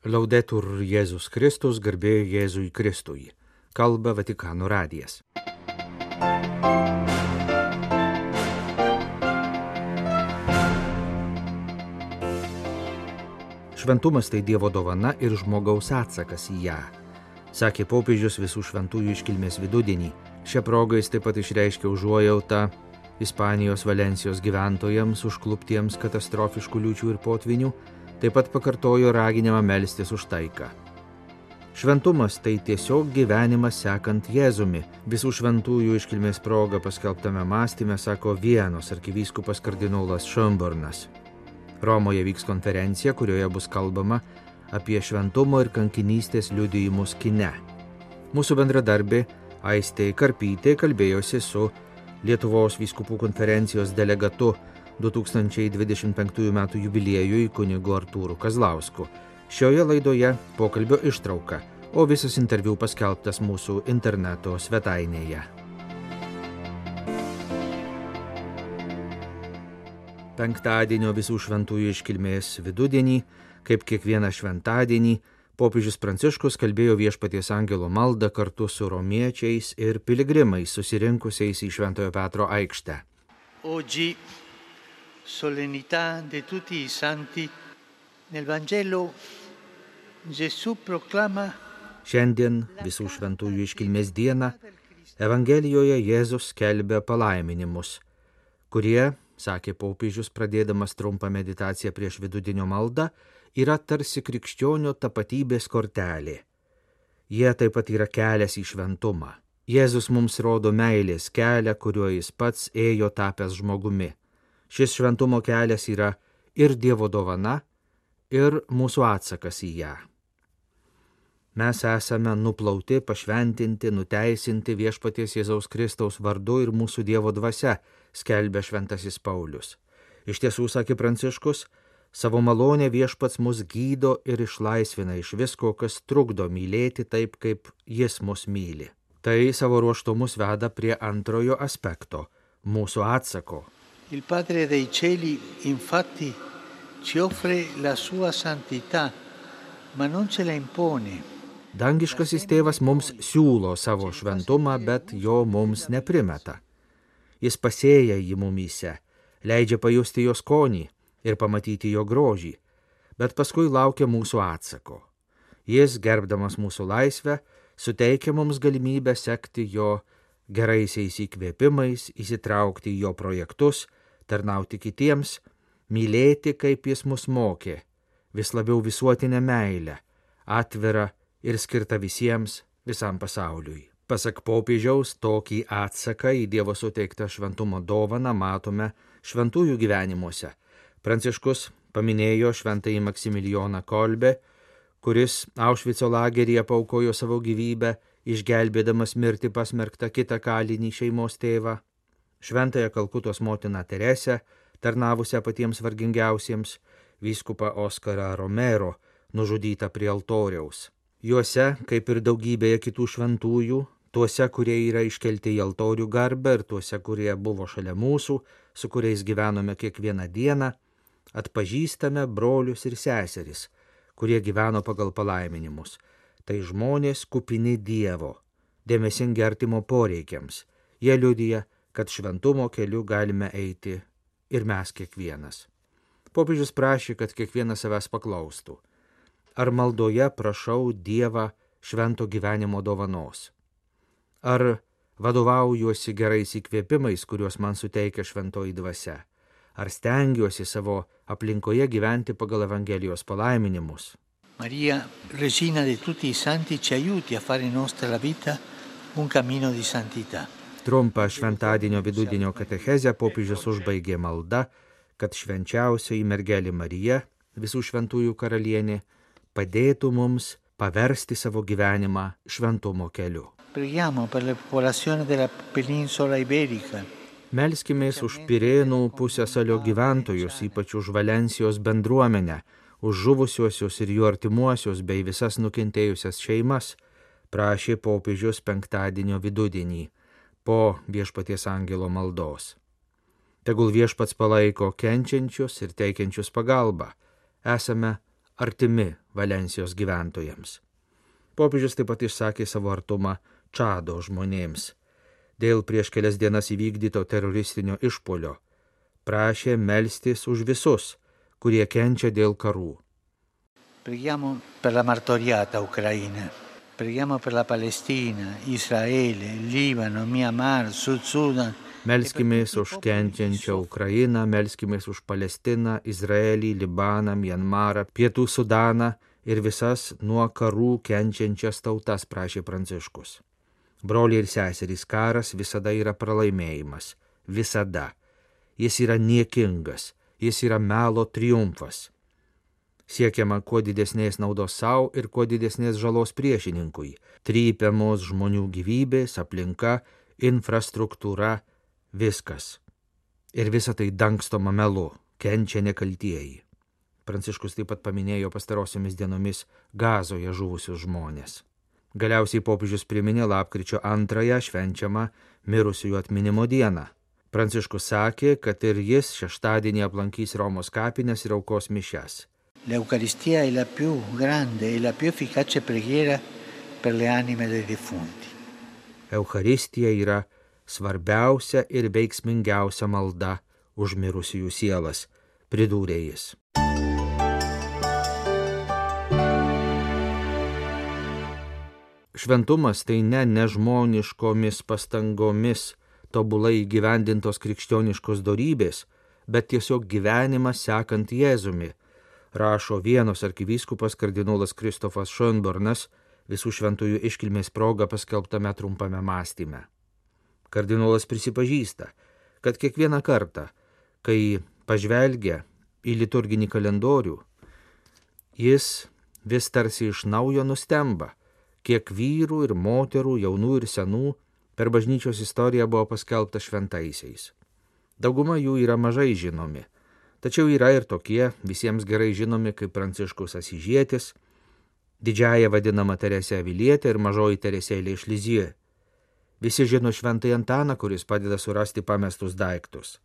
Laudetur Jėzus Kristus, garbė Jėzui Kristui. Kalba Vatikano radijas. Šventumas tai Dievo dovana ir žmogaus atsakas į ją, sakė popiežius visų šventųjų iškilmės vidudienį. Šią progą jis taip pat išreiškė užuojautą Ispanijos Valencijos gyventojams užkluptiems katastrofiškų liūčių ir potvinių, taip pat pakartojo raginimą melstis už taiką. Šventumas tai tiesiog gyvenimas sekant Jėzumi. Visų šventųjų iškilmės proga paskelbtame mąstyme sako Vienos arkivyskupas kardinolas Schönbornas. Romoje vyks konferencija, kurioje bus kalbama apie šventumo ir kankinystės liudijimus kine. Mūsų bendradarbė Aistė Karpytė kalbėjosi su Lietuvos vyskupų konferencijos delegatu 2025 m. jubiliejui kunigu Artūru Kazlausku. Šioje laidoje pokalbio ištrauka, o visas interviu paskelbtas mūsų interneto svetainėje. Penktadienio visų šventųjų iškilmės vidudienį, kaip kiekvieną šventadienį, popiežius Pranciškus kalbėjo Viešpaties angelo maldą kartu su romiečiais ir piligrimais susirinkusiais į Šventojo Petro aikštę. Oggi solennità di tutti i santi, nel Vangelo Gesù proclama. Šiandien visų šventųjų iškilmės dieną Evangelijoje Jėzus skelbia palaiminimus, kurie, sakė popiežius pradėdamas trumpą meditaciją prieš vidudienio maldą, yra tarsi krikščionio tapatybės kortelė. Jie taip pat yra kelias į šventumą. Jėzus mums rodo meilės kelią, kuriuo jis pats ėjo tapęs žmogumi. Šis šventumo kelias yra ir Dievo dovana, ir mūsų atsakas į ją. Mes esame nuplauti, pašventinti, nuteisinti Viešpaties Jėzaus Kristaus vardu ir mūsų Dievo dvasia, skelbia šventasis Paulius. Iš tiesų, sakė Pranciškus, savo malonę Viešpats mus gydo ir išlaisvina iš visko, kas trukdo mylėti taip, kaip jis mus myli. Tai savo ruožtu mus veda prie antrojo aspekto – mūsų atsako. Il Padre dei Cieli infatti ci offre la sua santità, ma non ce la impone. Dangiškasis tėvas mums siūlo savo šventumą, bet jo mums neprimeta. Jis pasėja jį mumyse, leidžia pajusti jo skonį ir pamatyti jo grožį, bet paskui laukia mūsų atsako. Jis, gerbdamas mūsų laisvę, suteikia mums galimybę sekti jo geraisiais įkvėpimais, įsitraukti į jo projektus, tarnauti kitiems, mylėti, kaip jis mus mokė, vis labiau visuotinę meilę, atvirą ir skirtą visiems, visam pasauliui. Pasak popiežiaus, tokį atsaką į Dievo suteiktą šventumo dovaną matome šventųjų gyvenimuose. Pranciškus paminėjo šventąjį Maksimilijoną Kolbę, kuris Aušvico lageryje paaukojo savo gyvybę, išgelbėdamas mirti pasmerktą kitą kalinį šeimos tėvą. Šventąją Kalkutos motiną Teresę, tarnavusią patiems vargingiausiems, vyskupą Oskarą Romero, nužudytą prie altoriaus. Juose, kaip ir daugybėje kitų šventųjų, tuose, kurie yra iškelti į altorių garbę ir tuose, kurie buvo šalia mūsų, su kuriais gyvenome kiekvieną dieną, atpažįstame brolius ir seseris, kurie gyveno pagal palaiminimus. Tai žmonės kupini Dievo, dėmesingi artimo poreikiams. Jie liudija, kad šventumo keliu galime eiti ir mes kiekvienas. Popiežius prašė, kad kiekvienas savęs paklaustų. Ar maldoje prašau Dievą švento gyvenimo dovanos? Ar vadovaujuosi gerais įkvėpimais, kuriuos man suteikia šventoji dvasia? Ar stengiuosi savo aplinkoje gyventi pagal Evangelijos palaiminimus? Maria, Regina di tutti i santi, ci aiuti a fare nostra la vita un cammino di santità. Trumpą šventadienio vidudienio katechezę popiežius užbaigė malda, kad švenčiausioji mergelė Marija, visų šventųjų karalienė, padėtų mums paversti savo gyvenimą šventumo keliu. Preghiamo per la popolazione della penisola iberica. Melskimės už Pirėnų pusiasalio gyventojus, ypač už Valencijos bendruomenę, už žuvusiuosius ir jų artimuosius bei visas nukentėjusias šeimas, prašė popiežius penktadienio vidudienį po Viešpaties angelo maldos. Tegul Viešpats palaiko kenčiančius ir teikiančius pagalbą. Esame artimi Valensijos gyventojams. Popiežius taip pat išsakė savo artumą Čado žmonėms. Dėl prieš kelias dienas įvykdyto teroristinio išpuolio prašė melstis už visus, kurie kenčia dėl karų. Preghiamo per la martoriata Ucraina, preghiamo per la Palestina, Israele, Libano, Myanmar, Sud Sudan. Melskimės už kenčiančią Ukrainą, melskimės už Palestiną, Izraelį, Libaną, Myanmarą, Pietų Sudaną ir visas nuo karų kenčiančias tautas, prašė Pranciškus. Broliai ir seserys, karas visada yra pralaimėjimas. Visada. Jis yra niekingas. Jis yra melo triumfas. Siekiama kuo didesnės naudos savo ir kuo didesnės žalos priešininkui. Trypiamos žmonių gyvybės, aplinka, infrastruktūra, viskas. Ir visa tai dangstoma melu, kenčia nekaltieji. Pranciškus taip pat paminėjo pastarosiomis dienomis Gazoje žuvusius žmonės. Galiausiai popiežius priminė lapkričio 2 švenčiamą mirusiųjų atminimo dieną. Pranciškus sakė, kad ir jis šeštadienį aplankys Romos kapines ir aukos mišias. L'Eucaristia è la più grande e la più efficace preghiera per le anime dei defunti. Eucharistija yra svarbiausia ir veiksmingiausia malda už mirusiųjų sielas, pridūrė jis. Šventumas tai ne nežmoniškomis pastangomis tobulai įgyvendintos krikščioniškos dorybės, bet tiesiog gyvenimas sekant Jėzumi, rašo Vienos arkivyskupas kardinolas Kristofas Schönbornas visų šventųjų iškilmės proga paskelbtame trumpame mąstyme. Kardinolas prisipažįsta, kad kiekvieną kartą, kai pažvelgia į liturginį kalendorių, jis vis tarsi iš naujo nustemba, kiek vyrų ir moterų, jaunų ir senų per bažnyčios istoriją buvo paskelbta šventaisiais. Dauguma jų yra mažai žinomi, tačiau yra ir tokie visiems gerai žinomi kaip Pranciškus Asyžietis, didžiąja vadinama Teresė Avilietė ir mažoji Teresėlė iš Lizijo. Visi žino šventąjį Antaną, kuris padeda surasti pamestus daiktus.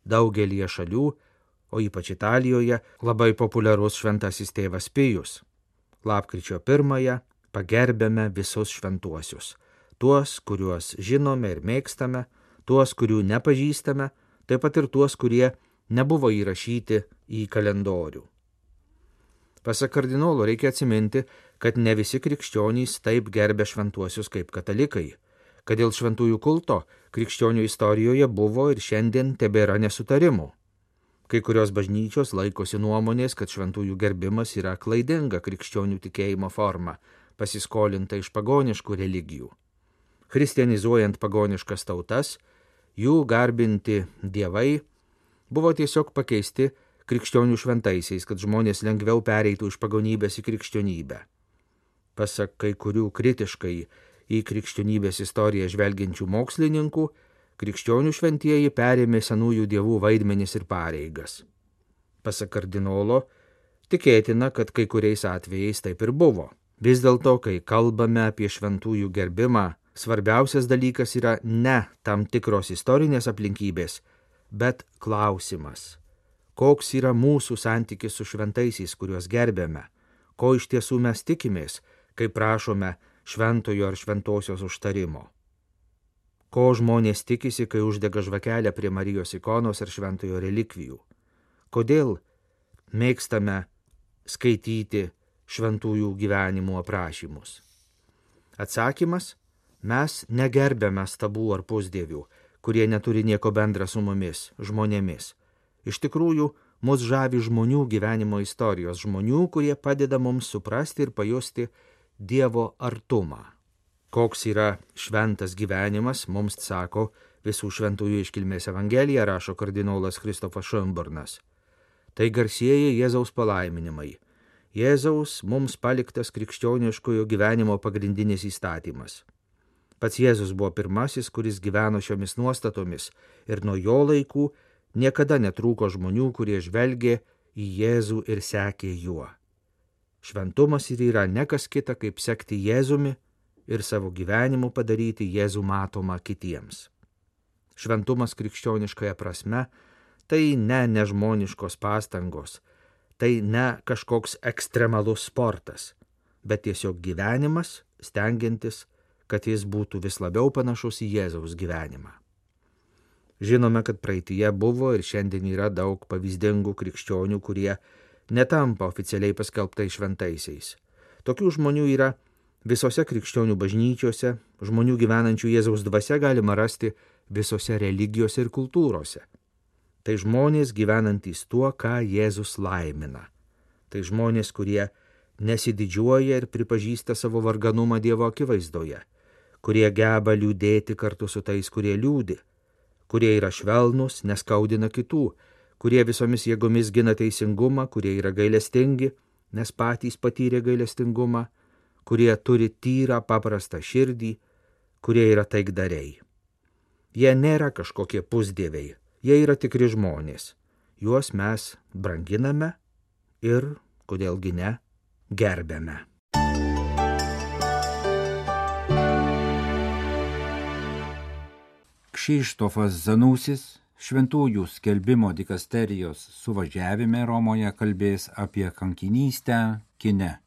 Daugelyje šalių, o ypač Italijoje, labai populiarus šventasis tėvas Pijus. Lapkričio 1 pagerbėme visus šventuosius. Tuos, kuriuos žinome ir mėgstame, tuos, kurių nepažįstame, taip pat ir tuos, kurie nebuvo įrašyti į kalendorių. Pasak kardinolo reikia atsiminti, kad ne visi krikščionys taip gerbė šventuosius kaip katalikai, kad dėl šventųjų kulto krikščionių istorijoje buvo ir šiandien tebėra nesutarimų. Kai kurios bažnyčios laikosi nuomonės, kad šventųjų gerbimas yra klaidinga krikščionių tikėjimo forma, pasiskolinta iš pagoniškų religijų. Christianizuojant pagoniškas tautas, jų garbinti dievai buvo tiesiog pakeisti krikščionių šventaisiais, kad žmonės lengviau pereitų iš pagonybės į krikščionybę. Pasak kai kurių kritiškai į krikščionybės istoriją žvelgiančių mokslininkų, krikščionių šventieji perėmė senųjų dievų vaidmenis ir pareigas. Pasak kardinolo, tikėtina, kad kai kuriais atvejais taip ir buvo. Vis dėlto, kai kalbame apie šventųjų gerbimą, svarbiausias dalykas yra ne tam tikros istorinės aplinkybės, bet klausimas. Koks yra mūsų santykis su šventaisiais, kuriuos gerbėme? Ko iš tiesų mes tikimės, kai prašome šventojo ar šventosios užtarimo? Ko žmonės tikisi, kai uždega žvakelę prie Marijos ikonos ar šventojo relikvijų? Kodėl mėgstame skaityti šventųjų gyvenimų aprašymus? Atsakymas: mes negerbėme stabų ar pusdievių, kurie neturi nieko bendra su mumis, žmonėmis. Iš tikrųjų, mus žavi žmonių gyvenimo istorijos, žmonių, kurie padeda mums suprasti ir pajusti Dievo artumą. Koks yra šventas gyvenimas, mums sako visų šventųjų iškilmės Evangelija, rašo kardinolas Kristofas Schönbornas. Tai garsieji Jėzaus palaiminimai. Jėzaus mums paliktas krikščioniškojo gyvenimo pagrindinis įstatymas. Pats Jėzus buvo pirmasis, kuris gyveno šiomis nuostatomis ir nuo jo laikų niekada netrūko žmonių, kurie žvelgė į Jėzų ir sekė juo. Šventumas ir yra ne kas kita, kaip sekti Jėzumi ir savo gyvenimu padaryti Jėzų matomą kitiems. Šventumas krikščioniškąja prasme tai ne nežmoniškos pastangos, tai ne kažkoks ekstremalus sportas, bet tiesiog gyvenimas, stengiantis, kad jis būtų vis labiau panašus į Jėzaus gyvenimą. Žinome, kad praeityje buvo ir šiandien yra daug pavyzdingų krikščionių, kurie netampa oficialiai paskelbtais šventaisiais. Tokių žmonių yra visose krikščionių bažnyčiose, žmonių gyvenančių Jėzaus dvasia galima rasti visose religijose ir kultūrose. Tai žmonės gyvenantys tuo, ką Jėzus laimina. Tai žmonės, kurie nesididžiuoja ir pripažįsta savo varganumą Dievo akivaizdoje, kurie geba liūdėti kartu su tais, kurie liūdi, kurie yra švelnūs, neskaudina kitų, kurie visomis jėgomis gina teisingumą, kurie yra gailestingi, nes patys patyrė gailestingumą, kurie turi tyrą paprastą širdį, kurie yra taikdariai. Jie nėra kažkokie pusdieviai, jie yra tikri žmonės. Juos mes branginame ir, kodėlgi ne, gerbėme. Krzyštofas Zanusis Šventųjų skelbimo dikasterijos suvažiavime Romoje kalbės apie kankinystę kine.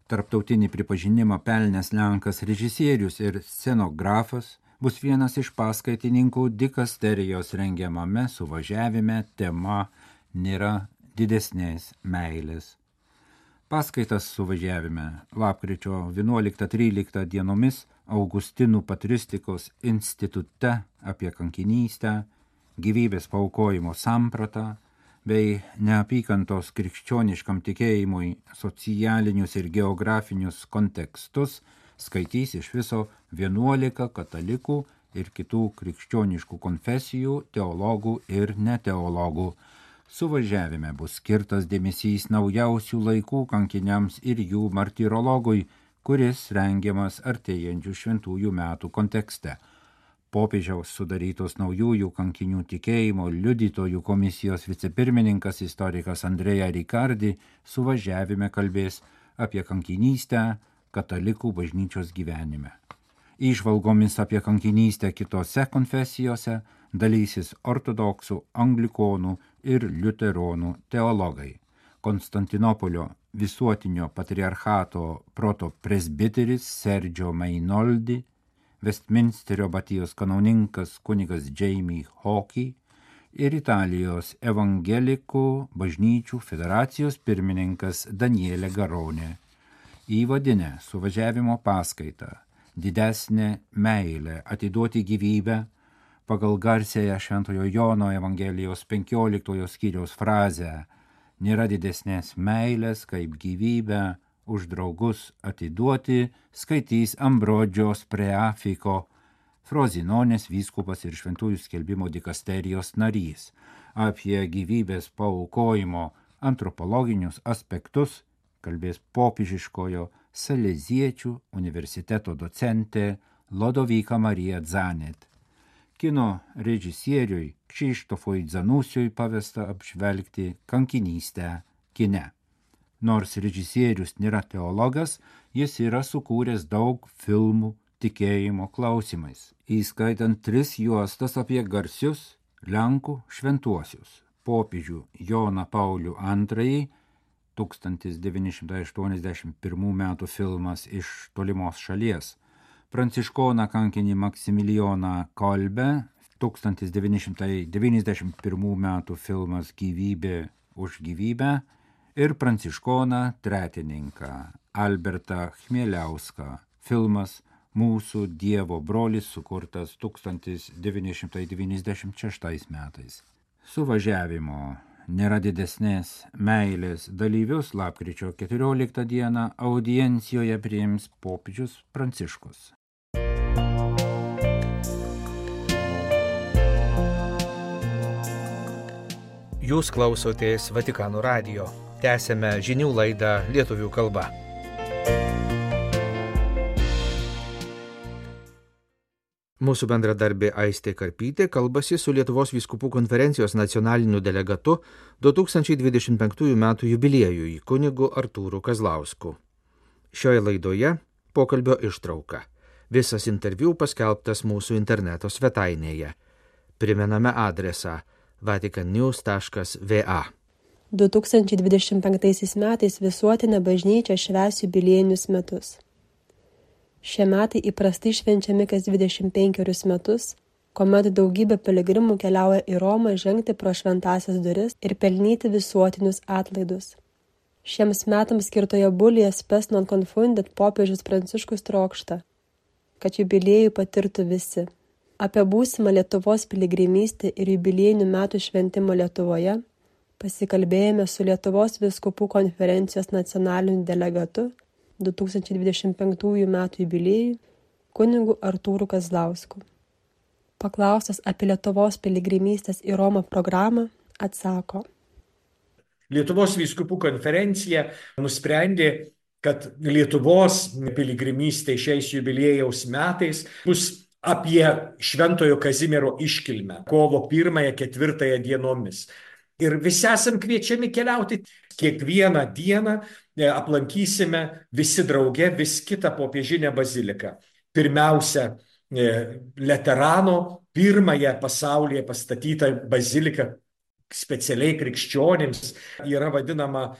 Tarptautinį pripažinimą pelnęs Lenkas režisierius ir scenografas bus vienas iš paskaitininkų dikasterijos rengiamame suvažiavime tema Nėra didesnės meilės. Paskaitas suvažiavime lapkričio 11-13 dienomis Augustinų patristikos institute apie kankinystę, gyvybės paaukojimo sampratą bei neapykantos krikščioniškam tikėjimui socialinius ir geografinius kontekstus skaitys iš viso 11 katalikų ir kitų krikščioniškų konfesijų, teologų ir neteologų. Suvažiavime bus skirtas dėmesys naujausių laikų kankiniams ir jų martyrologui, kuris rengiamas artėjančių šventųjų metų kontekste. Popiežiaus sudarytos naujųjų kankinių tikėjimo liudytojų komisijos vicepirmininkas istorikas Andrea Ricardi suvažiavime kalbės apie kankinystę katalikų bažnyčios gyvenime. Įžvalgomis apie kankinystę kitose konfesijose dalysis ortodoksų, anglikonų ir liuteronų teologai. Konstantinopolio visuotinio patriarchato protopresbiteris Sergio Mainoldi, Westminsterio batijos kanauninkas kunigas Jamie Hawkey ir Italijos evangelikų bažnyčių federacijos pirmininkas Daniele Garone. Įvadinę suvažiavimo paskaitą Didesnė meilė atiduoti gyvybę pagal garsiąją Šventojo Jono Evangelijos 15 skyriaus frazę Nėra didesnės meilės kaip gyvybę už draugus atiduoti, skaitys Ambrodžios Preafiko, Frozinonės vyskupas ir Šventųjų skelbimo dikasterijos narys. Apie gyvybės paaukojimo antropologinius aspektus kalbės popiežiškojo Saleziečių universiteto docentė Lodovika Marija Zanet. Kino režisieriui Krzyštofui Zanusiui pavesta apžvelgti kankinystę kine. Nors režisierius nėra teologas, jis yra sukūręs daug filmų tikėjimo klausimais, įskaitant 3 juostas apie garsius Lenkų šventuosius. Popiežių Joną Paulių II 1981 metų filmas Iš tolimos šalies, pranciškoną kankinį Maksimilijoną Kolbę 1991 metų filmas Gyvybė už gyvybę ir pranciškoną tretininką Albertą Chmieliauską filmas Mūsų Dievo brolis sukurtas 1996 metais. Suvažiavimo Nėra didesnės meilės dalyvius lapkričio 14 dieną audiencijoje priims popiežius Pranciškus. Jūs klausotės Vatikano radijo. Tęsėme žinių laidą lietuvių kalba. Mūsų bendradarbė Aistė Karpytė kalbasi su Lietuvos vyskupų konferencijos nacionaliniu delegatu 2025 metų jubiliejui kunigu Artūru Kazlausku. Šioje laidoje pokalbio ištrauka. Visas interviu paskelbtas mūsų interneto svetainėje. Primename adresą vaticannews.va. 2025 metais visuotinė bažnyčia švęs jubiliejinius metus. Šie metai įprastai švenčiami kas 25 metus, kuomet daugybė piligrimų keliauja į Romą žengti pro šventąsias duris ir pelnyti visuotinius atlaidus. Šiems metams skirtoje bulyje Spes non confundit popiežius Pranciškus trokšta, kad jubiliejų patirtų visi. Apie būsimą Lietuvos piligrimystę ir jubiliejinių metų šventimą Lietuvoje pasikalbėjome su Lietuvos vyskupų konferencijos nacionaliniu delegatu 2025 metų jubiliejui kunigu Artūru Kazlausku. Paklaustas apie Lietuvos piligrimystės į Romą programą, atsako. Lietuvos vyskupų konferencija nusprendė, kad Lietuvos piligrimystė šiais jubiliejaus metais bus apie Šventojo Kazimiero iškilmę kovo 1-4 dienomis. Ir visi esam kviečiami keliauti. Kiekvieną dieną aplankysime visi drauge vis kitą popiežinę baziliką. Pirmiausia, Leterano, pirmąją pasaulyje pastatytą baziliką specialiai krikščionims, yra vadinama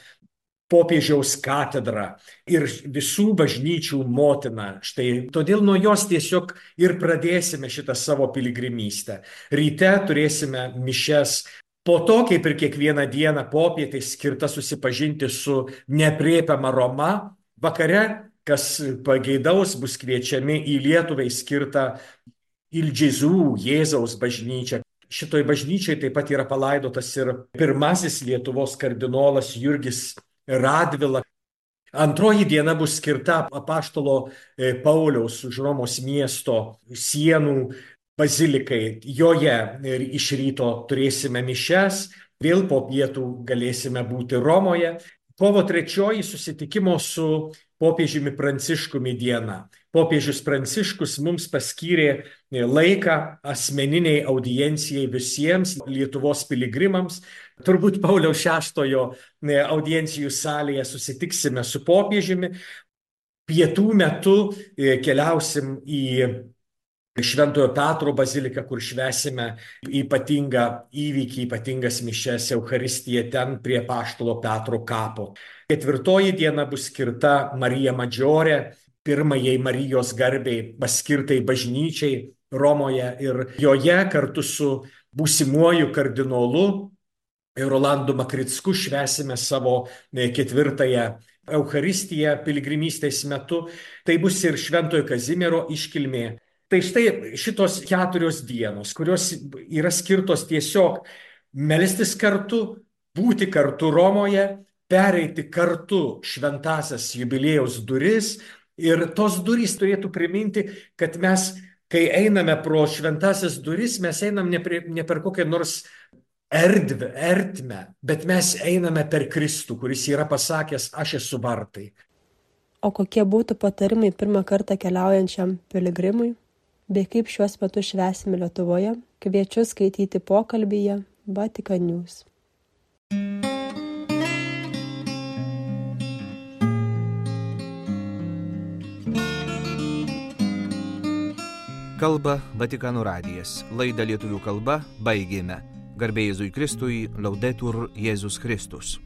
popiežiaus katedra ir visų bažnyčių motina. Štai todėl nuo jos tiesiog ir pradėsime šitą savo piligrimystę. Ryte turėsime mišias. Po to, kaip ir kiekvieną dieną popietė skirta susipažinti su neaprėpiama Roma, vakare, kas pageidaus, bus kviečiami į Lietuvai skirtą Il Gesù, Jėzaus bažnyčią. Šitoj bažnyčiai taip pat yra palaidotas ir pirmasis Lietuvos kardinolas Jurgis Radvila. Antroji diena bus skirta apaštalo Pauliaus už Romos miesto sienų bazilikai. Joje iš ryto turėsime mišias, vėl po pietų galėsime būti Romoje. Kovo 3 susitikimo su popiežiumi Pranciškumi diena. Popiežius Pranciškus mums paskyrė laiką asmeniniai audiencijai visiems Lietuvos piligrimams. Turbūt Pauliaus VI audiencijų salėje susitiksime su popiežiumi. Pietų metu keliausim į Šventojo Petro baziliką, kur švęsime ypatingą įvykį, ypatingas mišias, Eucharistiją ten prie apaštalo Petro kapo. 4 diena bus skirta Marija Maggiore, pirmajai Marijos garbei paskirtai bažnyčiai Romoje, ir joje kartu su būsimuoju kardinolu Rolandu Makricku švęsime savo 4-ąją Eucharistiją piligrimystės metu. Tai bus ir Šventojo Kazimiero iškilmė. Tai štai šitos 4 dienos, kurios yra skirtos tiesiog melstis kartu, būti kartu Romoje, pereiti kartu šventąsias jubiliejaus duris, ir tos durys turėtų priminti, kad mes, kai einame pro šventąsias duris, mes einam ne per kokią nors ertmę, bet mes einame per Kristų, kuris yra pasakęs, aš esu vartai. O kokie būtų patarimai pirmą kartą keliaujančiam piligrimui? Bei kaip šiuos metus švęsime Lietuvoje, kviečiu skaityti pokalbyje Vatican News. Kalba Vatikano radijas. Laidą lietuvių kalba baigėme. Garbė Jėzui Kristui, Laudetur Jėzus Kristus.